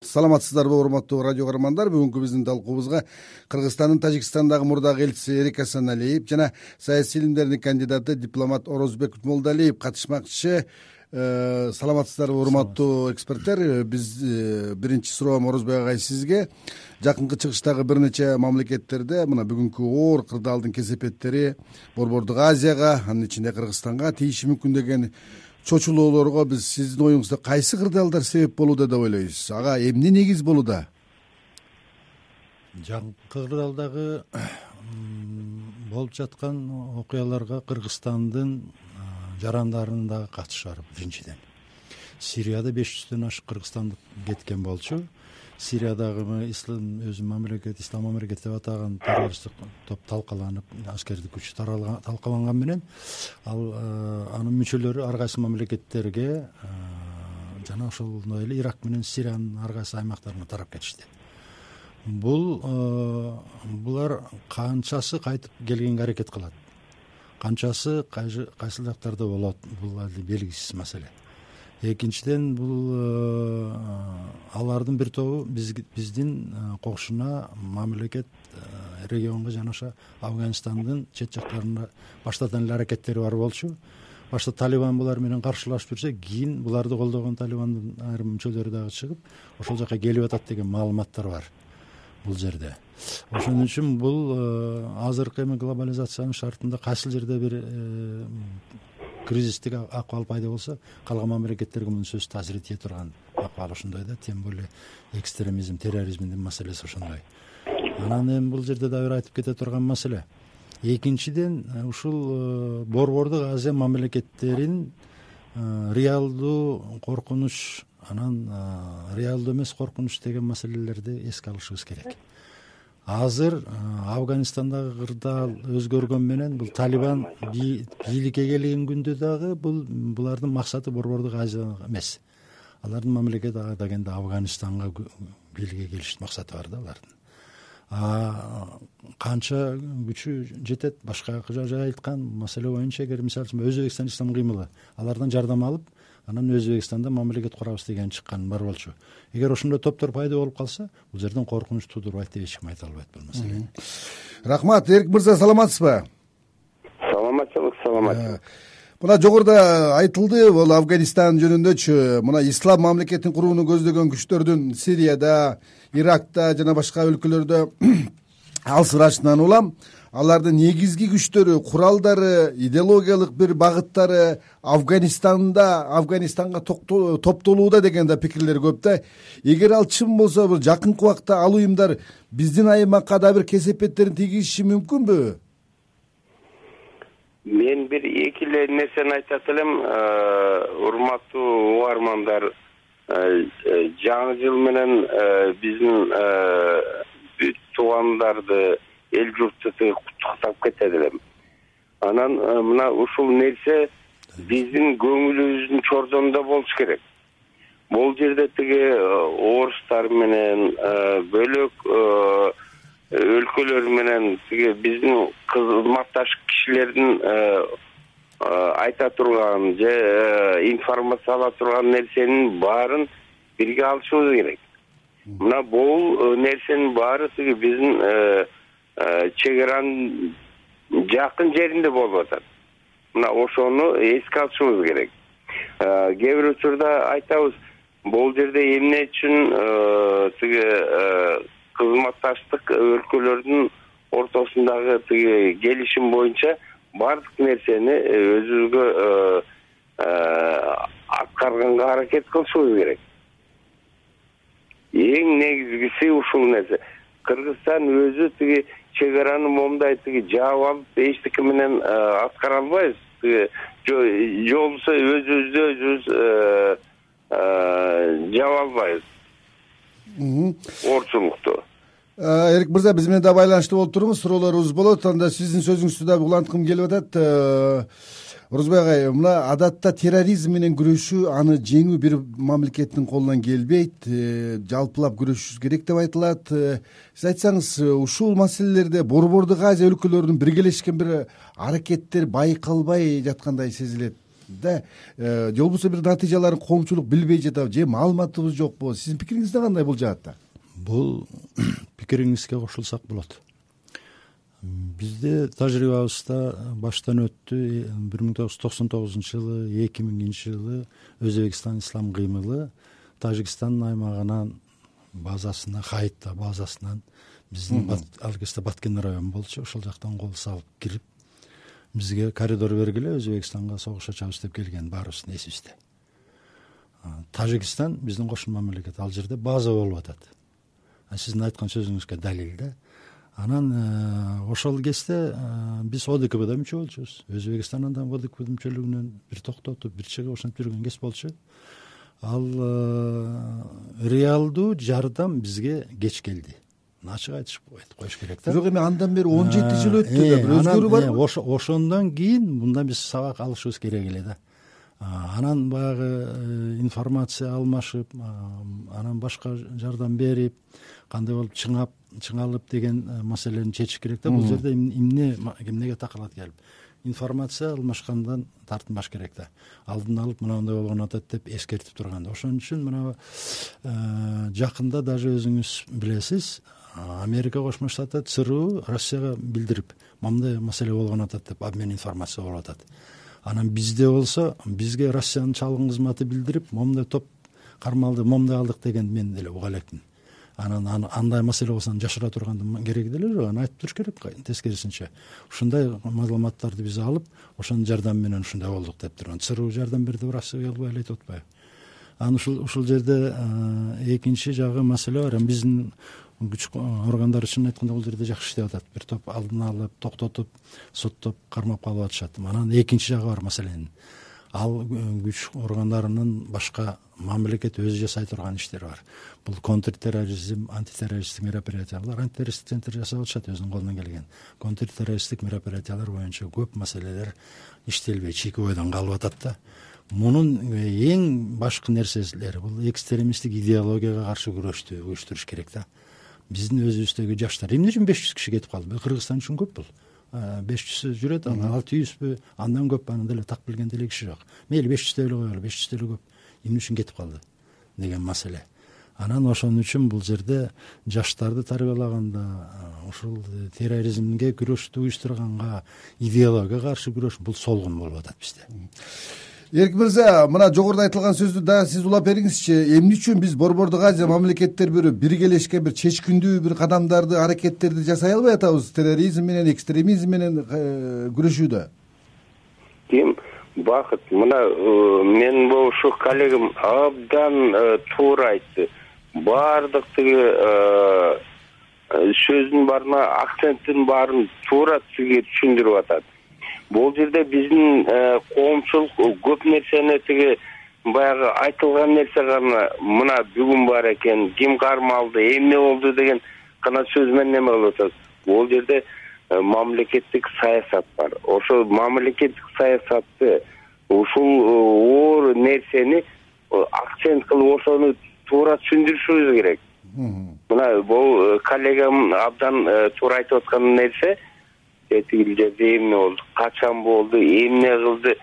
Саламатсыздарбы, урматтуу радио көрөрмандар. Бүгүнкү биздин талкуубузга Кыргызстандын Тажикстандагы мурдагы элчиси Эрик Асаналиев жана саясий илимдердин кандидаты дипломат Орозбек Молдалиев катышмакчы. Саламатсыздарбы, урматтуу эксперттер. Биз биринчи суроом Орозбек агай сизге. Жакынкы чыгыштагы бир нече мамлекеттерде мына бүгүнкү оор кырдаалдын кесепеттери Борбордук Азияга, анын ичинде Кыргызстанга тийиши мүмкүн деген чочулоолорго биз сиздин оюңузда кайсы кырдаалдар себеп болууда деп ойлойсуз? Ага эмне негиз болууда? Жакынкы кырдаалдагы болуп жаткан окуяларга Кыргызстандын жарандарынын дагы катышы бар. Биринчиден, Сирияда 500дөн ашык кыргызстандык кеткен болчу. Сириядагы ислам мамлекет деп атаган террористтик топ талкаланып, аскердик күч талкаланган менен анын мүчөлөрү ар кайсы мамлекеттерге жана ошондой эле Ирак менен Сириянын ар кайсы аймактарына тарап кетишти. Булар канчасы кайтып келгенге аракет кылат, канчасы кайсыл жактарда болот, бул белгисиз маселе. Экинчиден, бул алардын бир тобу биздин кошуна мамлекет регионго жана ошо Афганистандын чет жактарына баштадан эле аракеттери бар болчу. Башта Талибан булар менен каршылашып жүрсө, кийин буларды колдогон Талибандын айрым мүчөлөрү дагы чыгып, ошол жака келип атат деген маалыматтар бар бул жерде. Ошон үчүн бул азыркы глобализациянын шартында кайсыл жерде бир кризистик акыбал пайда болсо, калган мамлекеттерге мунун сөзсүз таасир ете турган акыбал ошондой да, тем более экстремизм, терроризмдин маселеси ошондой. Анан эми бул жерде да бир айтып кете турган маселе. Экинчиден, ушул Борбордук Азия мамлекеттерин реалдуу коркунуч, анан реалдуу эмес коркунуч деген маселелерди эске алышыбыз керек. Азыр Афганистандагы кырдаал өзгөргөн менен бул Талибан бийликке келген күндө дагы булардын максаты Борбордук Азия эмес. Алардын мамлекет дегенде Афганистанга бийликке келиш максаты бар да алардын. Канча күчү жетет, башка жай айткан маселе боюнча, эгер мисалы үчүн Өзбекстан ислам кыймылы алардан жардам алып, анан Өзбекстанда мамлекет курабыз деген чыккан бар болчу. Эгер ошондой топтор пайда болуп калса, бул жерден коркунуч туудурбайт деп эч ким айта албайт бул маселени. Рахмат, Эрик мырза, саламатсызбы? Саламатчылык. Мына жогоруда айтылды, бул Афганистан жөнүндөчү, мына ислам мамлекетин курууну көздөгөн күчтөрдүн Сирияда, Иракта жана башка өлкөлөрдө алсырашынан улам алардын негизги күчтөрү, куралдары, идеологиялык бир багыттары Афганистанга топтолууда деген да пикирлер көп да. Эгер ал чын болсо, бул жакынкы убакта ал уюмдар биздин аймакка да бир кесепеттерин тийгизиши мүмкүнбү? Мен бир эки эле нерсени айтат элем, урматтуу угармандар. Жаңы жыл менен биздин туугандарды, эл журтту куттуктап кетет элем. Анан мына ушул нерсе биздин көңүлүбүздүн чордонунда болуш керек. Бул жерде тиги орустар менен бөлөк өлкөлөр менен тиги биздин кызматташ кишилердин айта турган же информация ала турган нерсенин баарын бирге алышыбыз керек. Мына бул нерсенин баары тиги биздин чек аранын жакын жеринде болуп атат. Мына ошону эске алышыбыз керек. Кээ бир учурда айтабыз, бул жерде эмне үчүн тиги кызматташтык өлкөлөрдүн ортосундагы тиги келишим боюнча бардык нерсени өзүбүзгө аткарганга аракет кылышыбыз керек. Эң негизгиси ушул нерсе. Кыргызстан өзү тиги чек араны момундай тиги жаап алып эчтеке менен аткара албайбыз. Же болбосо өзүбүз жаап албайбыз орчулукту. Эрик мырза, биз менен да байланышта болуп туруңуз, суроолорубуз болот. Анда сиздин сөзүңүздү да уланткым келип атат. Орозбек агай, мына адатта терроризм менен күрөшүү, аны жеңүү бир мамлекеттин колунан келбейт, жалпылап күрөшүш керек деп айтылат. Сиз айтсаңыз, ушул маселелерде Борбордук Азия өлкөлөрүнүн биргелешкен бир аракеттер байкалбай жаткандай сезилет. да же болбосо бир натыйжаларын коомчулук билбей жатабы же маалыматыбыз жокпу? Сиздин пикириңизде кандай бул жаатта? Бул пикириңизге кошулсак болот. Бизде тажрыйбабызда баштан өттү 1999-жылы, 2000-жылы Өзбекстан ислам кыймылы Тажикстандын аймагынан базасына, Хайытта базасынан биздин ал кезде Баткен району болчу, ошол жактан кол салып кирип бизге коридор бергиле, Өзбекстанга согуш ачабыз деп келген баарыбыздын эсибизде. Тажикстан биздин кошун мамлекет, ал жерде база болуп атат. Сиздин айткан сөзүңүзгө далил да. Анан ошол кезде биз ОДКБда мүчө болчубуз. Өзбекстан андан ОДКБ мүчөлүгүнөн бир токтотуп, бир чыгып ошентип жүргөн кез болчу. Ал реалдуу жардам бизге кеч келди. Ачык айтып коюш керек да. Бирок эми андан бери 17 жыл өттү да, бир өзгөрүү барбы? Ошондон кийин мындан биз сабак алышыбыз керек эле да. Анан баягы информация алмашып, анан башка жардам берип, кандай болуп чыңалып деген маселени чечиш керек да. Бул жерде эмнеге такалат келип информация алмашкандан тартынбаш керек да. Алдын алып мынандай болгон атат деп эскертип турганда. Ошон үчүн мына жакында даже өзүңүз билесиз, Америка Кошмо Штаты ЦРУ Россияга билдирип, мындай маселе болгон атат деп обмен информация болуп атат. Анан бизде болсо, бизге Россиянын чалгын кызматы билдирип, момундай топ кармалды, момундай алдык деген мен деле уга элекмин. Анан андай маселе болсо жашыра тургандын кереги деле жок, аны айтып туруш керек. Тескерисинче ушундай маалыматтарды биз алып, ошонун жардамы менен ушундай болдук деп турган. ЦРУ жардам берди, Россия келбей эле айтып атпайбы? Анан ушул жерде экинчи жагы маселе бар. Биздин күч органдары чын айтканда бул жерде жакшы иштеп атат. Бир топ алдын алып, токтотуп, соттоп, кармап калып атышат. Анан экинчи жагы бар маселенин. Ал күч органдарынын башка мамлекет өзү жасай турган иштери бар. Бул контртерроризм, антитеррористтик мероприятиялар, антитеррористтик центр жасап атышат өзүнүн колунан келген. Контртеррористтик мероприятиялар боюнча көп маселелер иштелбей, чийки бойдон калып атат да. Мунун эң башкы нерселери бул экстремисттик идеологияга каршы күрөштү уюштуруш керек да. Биздин өзүбүздөгү жаштар эмне үчүн 500 киши кетип калды? Кыргызстан үчүн көп бул. 500 жүрөт, 600бү, андан көп, анан деле так билген деле киши жок. Мейли 500 деле коелу, 500 деле көп. Эмне үчүн кетип калды деген маселе. Анан ошон үчүн бул жерде жаштарды тарбиялаганда, ушул терроризмге күрөштү уюштурганга, идеологияга каршы күрөш бул солгун болуп атат бизде. Эркин мырза, мына жогоруда айтылган сөздү дагы сиз улап бериңизчи. Эмне үчүн биз Борбордук Азия мамлекеттер биргелешкен бир чечкиндүү бир кадамдарды, аракеттерди жасай албай атабыз терроризм менен, экстремизм менен күрөшүүдө? Ким бакыт, мына мен болушу коллегам абдан туура айтты. Баардык тиги сөздүн баарына, акценттин баарын туура сизге түшүндүрүп атат. Бул жерде биздин коомчулук көп нерсени тиги баягы айтылган нерсе гана мына бүгүн бар экен, ким кармалды, эмне болду деген гана сөз менен эме кылып атат. Бул жерде мамлекеттик саясат бар. Ошол мамлекеттик саясатты, ушул оор нерсени акцент кылып ошону туура түшүндүрүшүбүз керек. Мына бул коллегам абдан туура айтып аткан нерсе, тигил жерде эмне болду, качан болду, эмне кылды.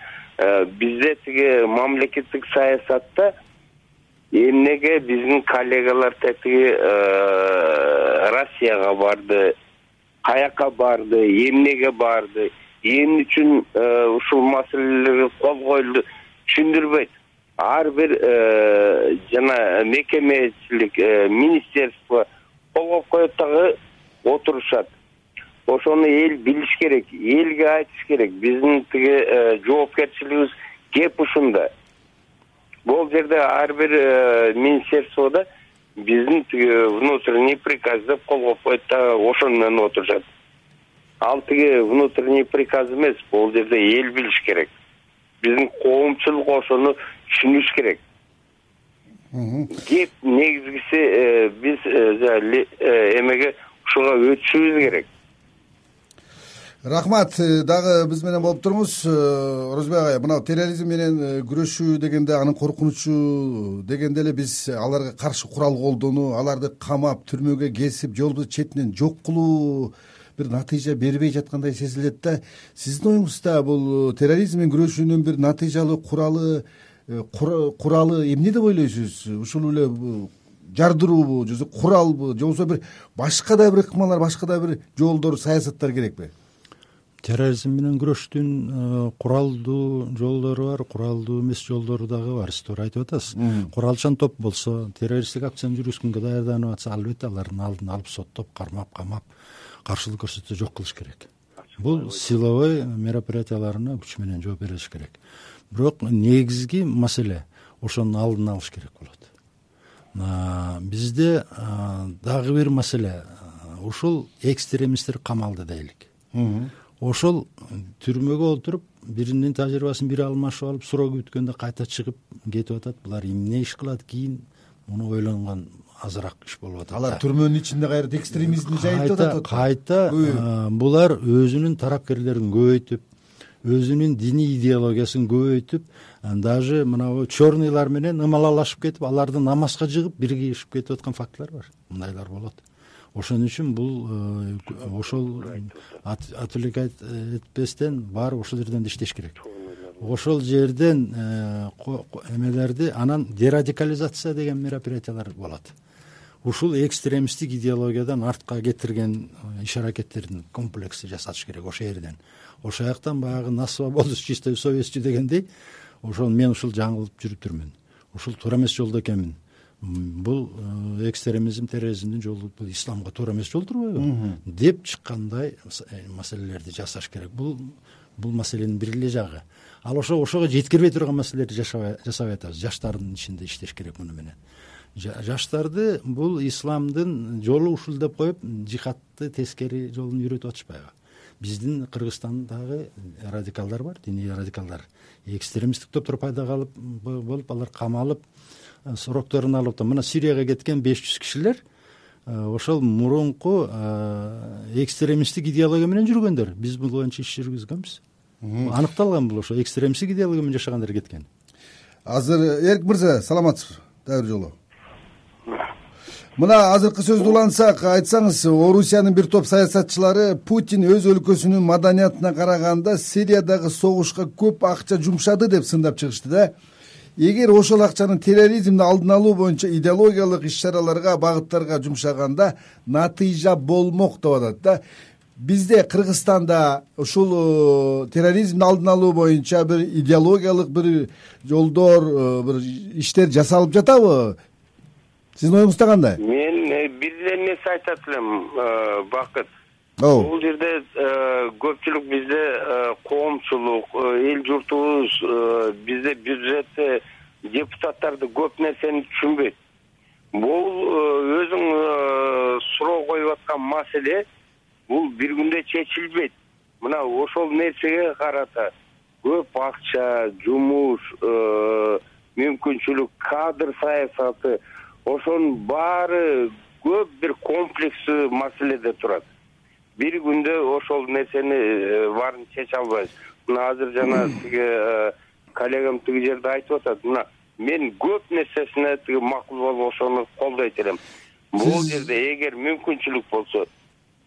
Бизде тиги мамлекеттик саясатта эмнеге биздин коллегалар тиги Россияга барды, каяка барды, эмнеге барды, эмне үчүн ушул маселелерге кол коюлду түшүндүрбөйт. Ар бир жана мекемечилик министерство кол коюп дагы отурушат. Ошону эл билиш керек, элге айтыш керек. Биздин тиги жоопкерчилигибиз кеп ушунда. Бул жерде ар бир министерстводо биздин тиги внутренний приказ деп кол коюп да ошону менен отурушат. Ал тиги внутренний приказ эмес, бул жерде эл билиш керек. Биздин коомчулук ошону түшүнүш керек. Кеп негизгиси биз эмеге ушуга өтүшүбүз керек. Рахмат. Дагы биз менен болуп туруңуз. Орозбек агай, мына терроризм менен күрөшүү дегенде, анын коркунучу дегенде эле биз аларга каршы курал колдонуу, аларды камап, түрмөгө кесип, же болбосо четинен жок кылуу бир натыйжа бербей жаткандай сезилет да. Сиздин оюңузда бул терроризм менен күрөшүүнүн бир натыйжалуу куралы эмне деп ойлойсуз? Ушул эле жардыруубу же куралбы же болбосо бир башка да бир ыкмалар, башка да бир жолдор, саясаттар керекпи? Терроризм менен күрөштүн куралдуу жолдору бар, куралдуу эмес жолдору дагы бар. Сиз туура айтып атасыз. Куралчан топ болсо, террористтик акцияны жүргүзгөнгө даярданып атса, албетте алардын алдын алып, соттоп, кармап, камап, каршылык көрсөтсө жок кылыш керек. Бул силовой мероприятияларына күч менен жооп бериш керек. Бирок негизги маселе ошонун алдын алыш керек болот. Бизде дагы бир маселе, ушул экстремисттер камалды дейли. Ошол түрмөгө отуруп, биринин тажрыйбасын бири алмашып алып, суроо күткөндө кайта чыгып кетип атат. Булар эмне иш кылат кийин? Муну ойлонгон азыраак иш болуп атат. Алар түрмөнүн ичинде кайра экстремизмди жайып атат. Кайта булар өзүнүн тарапкерлерин көбөйтүп, өзүнүн диний идеологиясын көбөйтүп, даже мына черныйлар менен ымалалашып кетип, аларды намазга жыгып биригишип кетип аткан фактылар бар. Мындайлар болот. Ошон үчүн бул ошол отвлекать этпестен бар ошол жерден иштеш керек. Ошол жерден эмелерди, анан дерадикализация деген мероприятиялар болот. Ушул экстремисттик идеологиядан артка кетирген иш-аракеттердин комплексти жасатыш керек ошол жерден. Ошол жактан баягы на свободу чистой совестью дегендей, ошол мен ушул жаңылып жүрүптүрмүн. Ушул туура эмес жолдо экенмин. Бул экстремизм, терроризмдин жолу, бул исламга туура эмес жол турбайбы деп чыккандай маселелерди жасаш керек. Бул маселенин бир эле жагы. Ал ошого жеткирбей турган маселелерди жасабай атабыз. Жаштардын ичинде иштеш керек муну менен. Жаштарды бул исламдын жолу ушул деп коюп, жихадты тескери жолун үйрөтүп атышпайбы? Биздин Кыргызстандагы радикалдар бар, диний радикалдар. Экстремисттик топтор пайда болуп, алар камалып, срокторун алып, мына Сирияга кеткен 500 кишилер ошол мурунку экстремисттик идеология менен жүргөндөр. Биз бул боюнча иш жүргүзгөнбүз. Аныкталган бул ошо экстремисттик идеология менен жашагандар кеткен. Азыр Эрик мырза, саламатсызбы? Дагы бир жолу. Мына азыркы сөздү улантсак, айтсаңыз, Орусиянын бир топ саясатчылары Путин өз өлкөсүнүн маданиятына караганда Сириядагы согушка көп акча жумшады деп сындап чыгышты да. Эгер ошол акчаны терроризмди алдын алуу боюнча идеологиялык иш-чараларга, багыттарга жумшаганда натыйжа болмок деп атат да. Бизде Кыргызстанда ушул терроризмди алдын алуу боюнча бир идеологиялык бир жолдор, бир иштер жасалып жатабы? Сиздин оюңузда кандай? Мен бир нерсе айтат элем, Бакыт. Бул жерде көпчүлүк бизде коомчулук, эл журтубуз бизде бюджетте депутаттарды көп нерсени түшүнбөйт. Бул өзүң суроо коюп аткан маселе, бул бир күндө чечилбейт. Мына ошол нерсеге карата көп акча, жумуш, мүмкүнчүлүк, кадр саясаты, ошонун баары көп бир комплекстүү маселеде турат. Бир күндө ошол нерсени баарын чече албайбыз. Мына азыр жана тиги коллегам тиги жерде айтып атат. Мына мен көп нерсесине тиги макул болуп ошону колдойт элем. Бул жерде эгер мүмкүнчүлүк болсо,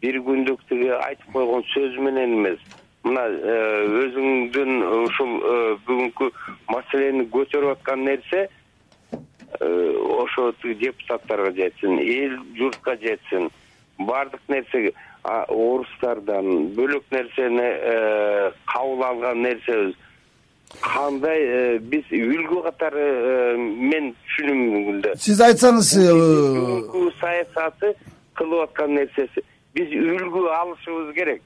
бир күндүк тиги айтып койгон сөз менен эмес, мына өзүңдүн ушул бүгүнкү маселени көтөрүп аткан нерсе ошо депутаттарга жетсин, эл журтка жетсин. Бардык нерсеге орустардан бөлөк нерсени кабыл алган нерсебиз кандай биз үлгү катары мен түшүнүмүндө. Сиз айтсаңыз, саясаты кылып аткан нерсеси биз үлгү алышыбыз керек.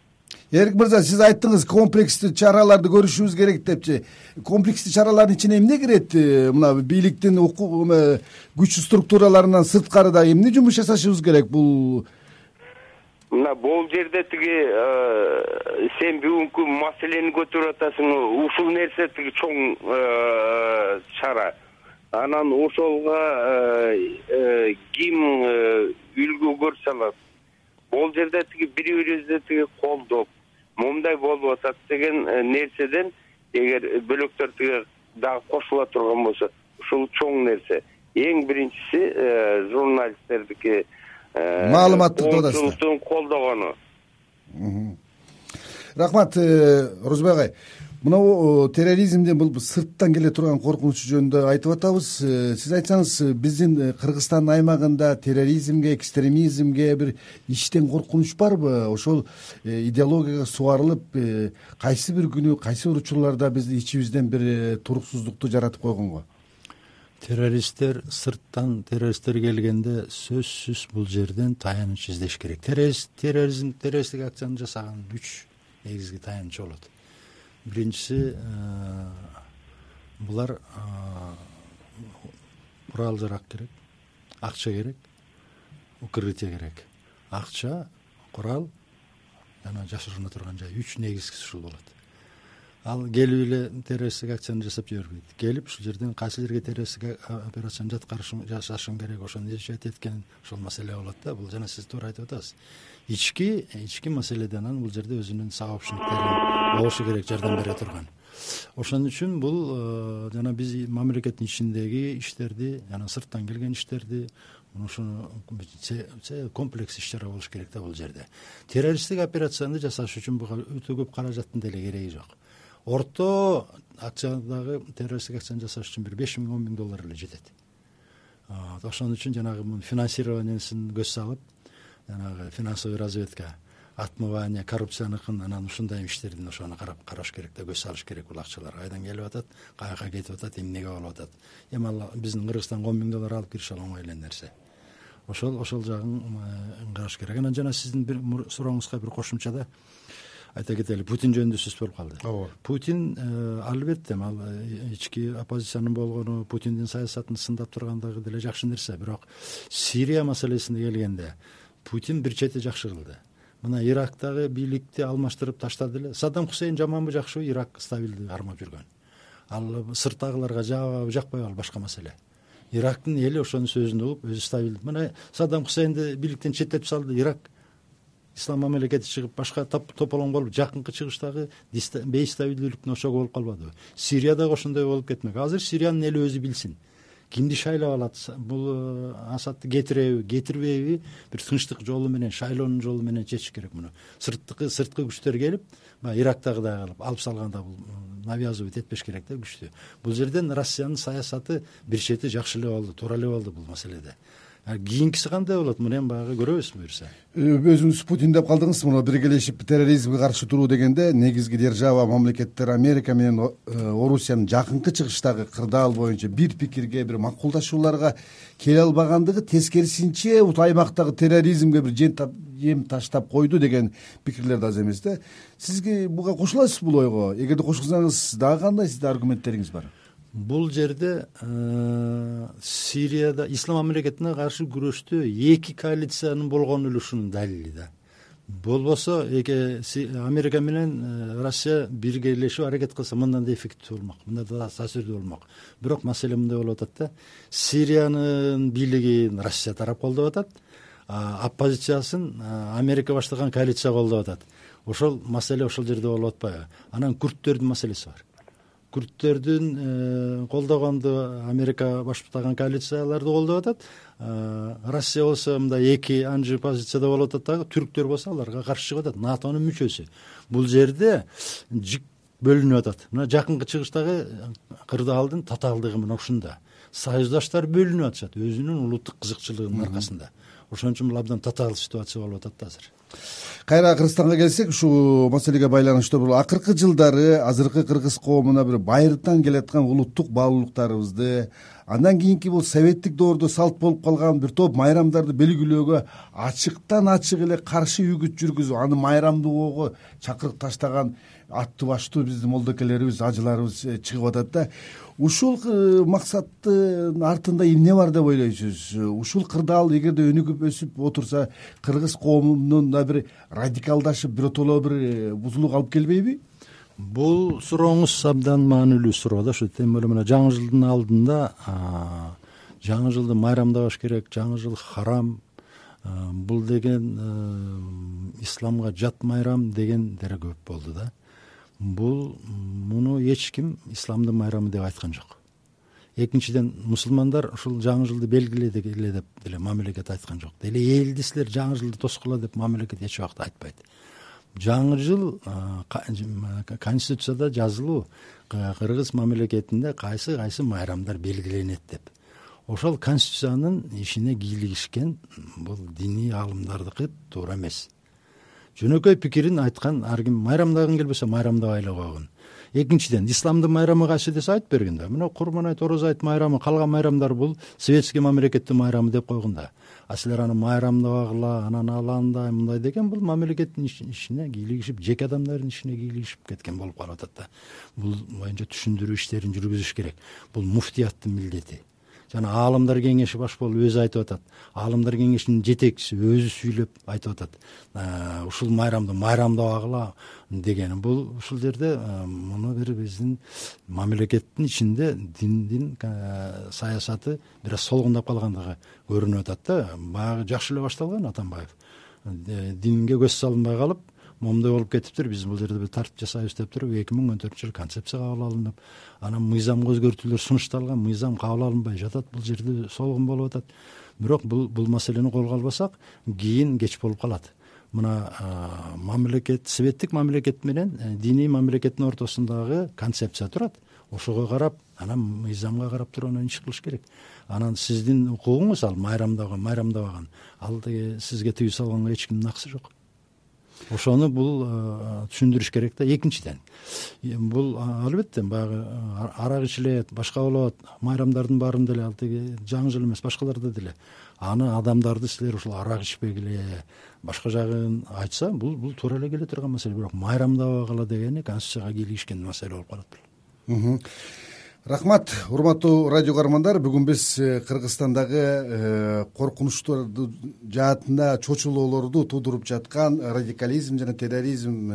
Эрик мырза, сиз айттыңыз, комплекстүү чараларды көрүшүбүз керек депчи. Комплекстүү чаралардын ичине эмне кирет? Мына бийликтин күч структураларынан сырткары да эмне жумуш жасашыбыз керек? Бул мына бул жерде тиги сен бүгүнкү маселени көтөрүп атасың, ушул нерсе тиги чоң чара. Анан ошолго ким үлгү көрсө алат? Бул жерде тиги бири-бирибизди тиги колдоп, момундай болуп атат деген нерседен эгер бөлөктөр тиги дагы кошула турган болсо, ушул чоң нерсе. Эң биринчиси журналисттердики маалыматтык тоодасыздар колдогону. Рахмат, Орозбек агай. Мынау терроризмден бул сырттан келе турган коркунучу жөнүндө айтып атабыз. Сиз айтсаңыз, биздин Кыргызстан аймагында терроризмге, экстремизмге бир иштен коркунуч барбы? Ошол идеологияга сугарылып, кайсы бир күнү, кайсы бир учурларда биздин ичибизден бир туруксуздукту жаратып койгонго? Террористтер сырттан террористтер келгенде сөзсүз бул жерден таяныч издеш керек. Террористтик акцияны жасаган 3 негизги таянычы болот. Биринчиси, булар курал жарак керек, акча керек, укрытие керек. Акча, курал жана жашырына турган жай. 3 негизгиси ушул болот. Ал келип эле террористтик акцияны жасап жибербейт. Келип ушул жерден кайсы жерге террористтик операцияны жасашым керек, ошону изчет эткен ошол маселе болот да. Бул жана сиз туура айтып атасыз. Ички маселеден анан бул жерде өзүнүн сабапчылыктары болушу керек, жардам бере турган. Ошон үчүн бул жана биз мамлекеттин ичиндеги иштерди, жана сырттан келген иштерди, ошону комплекс иш-чара болуш керек да бул жерде. Террористтик операцияны жасаш үчүн буга өтө көп каражаттын деле кереги жок. Орто акциядагы террористтик акцияны жасаш үчүн бир 5 миң, 10 миң доллар эле жетет. Ошон үчүн жанагы финансированиесин көз салып, жанагы финансовый разведка, отмывание, коррупцияныкын, анан ушундай иштердин ошону караш керек да, көз салыш керек. Бул акчалар кайдан келип атат, каяка кетип атат, эмнеге болуп атат. Эми ал биздин Кыргызстанга 10 миң доллар алып кириш оңой эле нерсе. Ошол жагын караш керек. Анан жана сиздин бир сурооңузга бир кошумчада айта кетели, Путин жөнүндө сөз болуп калды. Путин албетте ал ички оппозициянын болгону, Путиндин саясатын сындап тургандыгы деле жакшы нерсе, бирок Сирия маселесине келгенде Путин бир чети жакшы кылды. Мына Ирактагы бийликти алмаштырып таштады эле. Саддам Хусейн жаманбы, жакшыбы, Ирак стабилдүү кармап жүргөн. Ал сырттагыларга жакпайбы, жакпайбы, ал башка маселе. Ирактын эли ошонун сөзүн угуп, өзү стабилдүү. Мына Саддам Хусейнди бийликтен четтетип салды, Ирак ислам мамлекети чыгып, башка тополоң болуп, жакынкы чыгыштагы бейстабилдүүлүктүн ошогу болуп калбадыбы? Сирияда ошондой болуп кетмек. Азыр Сириянын эли өзү билсин. Кимди шайлап алат? Бул Асадты кетиреби, кетирбейби? Бир тынчтык жолу менен, шайлоонун жолу менен чечиш керек муну. Сырткы күчтөр келип, Ирактагыдай кылып алып салганда бул навязывать этпеш керек да күчтү. Бул жерден Россиянын саясаты бир чети жакшы эле болду, туура эле болду бул маселеде. Кийинкиси кандай болот? Муну эми баягы көрөбүз буюрса. Өзүңүз Путин деп калдыңыз. Муну биргелешип терроризмге каршы туруу дегенде негизги держава мамлекеттер Америка менен Орусиянын жакынкы чыгыштагы кырдаал боюнча бир пикирге, бир макулдашууларга келе албагандыгы, тескерисинче аймактагы терроризмге бир жем таштап койду деген пикирлер да аз эмес да. Сизге буга кошуласызбы бул ойго? Эгерде кошулсаңыз, дагы кандай сизде аргументтериңиз бар? Бул жерде Сирияда ислам мамлекетине каршы күрөштө эки коалициянын болгон үлүшүнүн далили да. Болбосо Америка менен Россия биргелешип аракет кылса, мындан да эффективдүү болмок, мындан да таасирдүү болмок. Бирок маселе мындай болуп атат да. Сириянын бийлигин Россия тарап колдоп атат, оппозициясын Америка баштаган коалиция колдоп атат. Ошол маселе ошол жерде болуп атпайбы? Анан күрттөрдүн маселеси бар. Күрттөрдүн колдогонду Америка баштаган коалицияларды колдоп атат. Россия болсо мындай эки анжы позицияда болуп атат дагы, түрктөр болсо аларга каршы чыгып атат, НАТОнун мүчөсү. Бул жерде жик бөлүнүп атат. Мына жакынкы чыгыштагы кырдаалдын татаалдыгы мына ушунда. Союздаштар бөлүнүп атышат өзүнүн улуттук кызыкчылыгынын аркасында. Ошон үчүн бул абдан татаал ситуация болуп атат да азыр. Кайра Кыргызстанга келсек, ушул маселеге байланыштуу бул акыркы жылдары азыркы кыргыз коомуна бир байыртан келаткан улуттук баалуулуктарыбызды, андан кийинки бул советтик доордо салт болуп калган бир топ майрамдарды белгилөөгө ачыктан ачык эле каршы үгүт жүргүзүп, аны майрамдоого чакырык таштаган аттуу баштуу биздин молдокелерибиз, ажыларыбыз чыгып атат да. Ушул максаттын артында эмне бар деп ойлойсуз? Ушул кырдаал эгерде өнүгүп өсүп отурса, кыргыз коомунун да бир радикалдашып, биротоло бир бузулууга алып келбейби? Бул сурооңуз абдан маанилүү суроо да. Ушу тем более мына жаңы жылдын алдында жаңы жылды майрамдабаш керек, жаңы жыл харам, бул деген исламга жат майрам дегендер көп болду да. Муну эч ким исламдын майрамы деп айткан жок. Экинчиден, мусулмандар ушул жаңы жылды белгиледи эле деп деле мамлекет айткан жок. Деле элди силер жаңы жылды тоскула деп мамлекет эч убакта айтпайт. жаңы жыл конституцияда жазылуу кыргыз мамлекетинде кайсы майрамдар белгиленет деп. Ошол конституциянын ишине кийлигишкен бул диний аалымдардыкы туура эмес. Жөнөкөй пикирин айткан ар ким майрамдагың келбесе майрамдабай эле койгун. Экинчиден, исламдын майрамы кайсы десе айтып бергин да. Мына Курман айт, Ороз айт майрамы, калган майрамдар бул советский мамлекеттин майрамы деп койгун да. А силер аны майрамдабагыла, анан аландай мындай деген бул мамлекеттин ишине кийлигишип, жеке адамдардын ишине кийлигишип кеткен болуп калып атат да. Бул боюнча түшүндүрүү иштерин жүргүзүш керек. Бул муфтияттын милдети. Жана аалымдар кеңеши баш болуп өзү айтып атат. Аалымдар кеңешинин жетекчиси өзү сүйлөп айтып атат. Ушул майрамды майрамдабагыла деген бул ушул жерде муну бир биздин мамлекеттин ичинде диндин саясаты бир аз солгундап калгандыгы көрүнүп атат да. Баягы жакшы эле башталган Атамбаев. Динге көз салынбай калып, момундай болуп кетиптир. Биз бул жерде бир тартип жасайбыз деп туруп 2014-жылы концепция кабыл алынып, анан мыйзамга өзгөртүүлөр сунушталган, мыйзам кабыл алынбай жатат. Бул жерде солгун болуп атат. Бирок бул маселени колго албасак, кийин кеч болуп калат. Мына мамлекет, советтик мамлекет менен диний мамлекеттин ортосундагы концепция турат. Ошого карап, анан мыйзамга карап туруп анан иш кылыш керек. Анан сиздин укугуңуз ал майрамдабаган. Ал сизге тыюу салганга эч кимдин акысы жок. Ошону бул түшүндүрүш керек да. Экинчиден, бул албетте баягы арак ичилет, башка болот, майрамдардын баарында деле ал тиги жаңы жыл эмес, башкаларда деле аны адамдарды силер ушул арак ичпегиле, башка жагын айтса, бул туура эле келе турган маселе. Бирок майрамдабагыла дегени конституцияга кийлигишкен маселе болуп калат. Рахмат, урматтуу радио көрөрмандар. Бүгүн биз Кыргызстандагы коркунучтор жаатында чочулоолорду туудуруп жаткан радикализм жана терроризм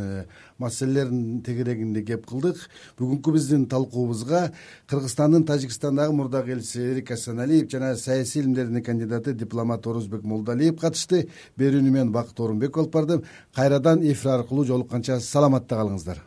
маселелеринин тегерегинде кеп кылдык. Бүгүнкү биздин талкуубузга Кыргызстандын Тажикстандагы мурдагы элчиси Эрик Асаналиев жана саясий илимдердин кандидаты дипломат Орозбек Молдалиев катышты. Берүүнү мен Бакыт Орунбеков алып бардым. Кайрадан эфир аркылуу жолукканча саламатта калыңыздар.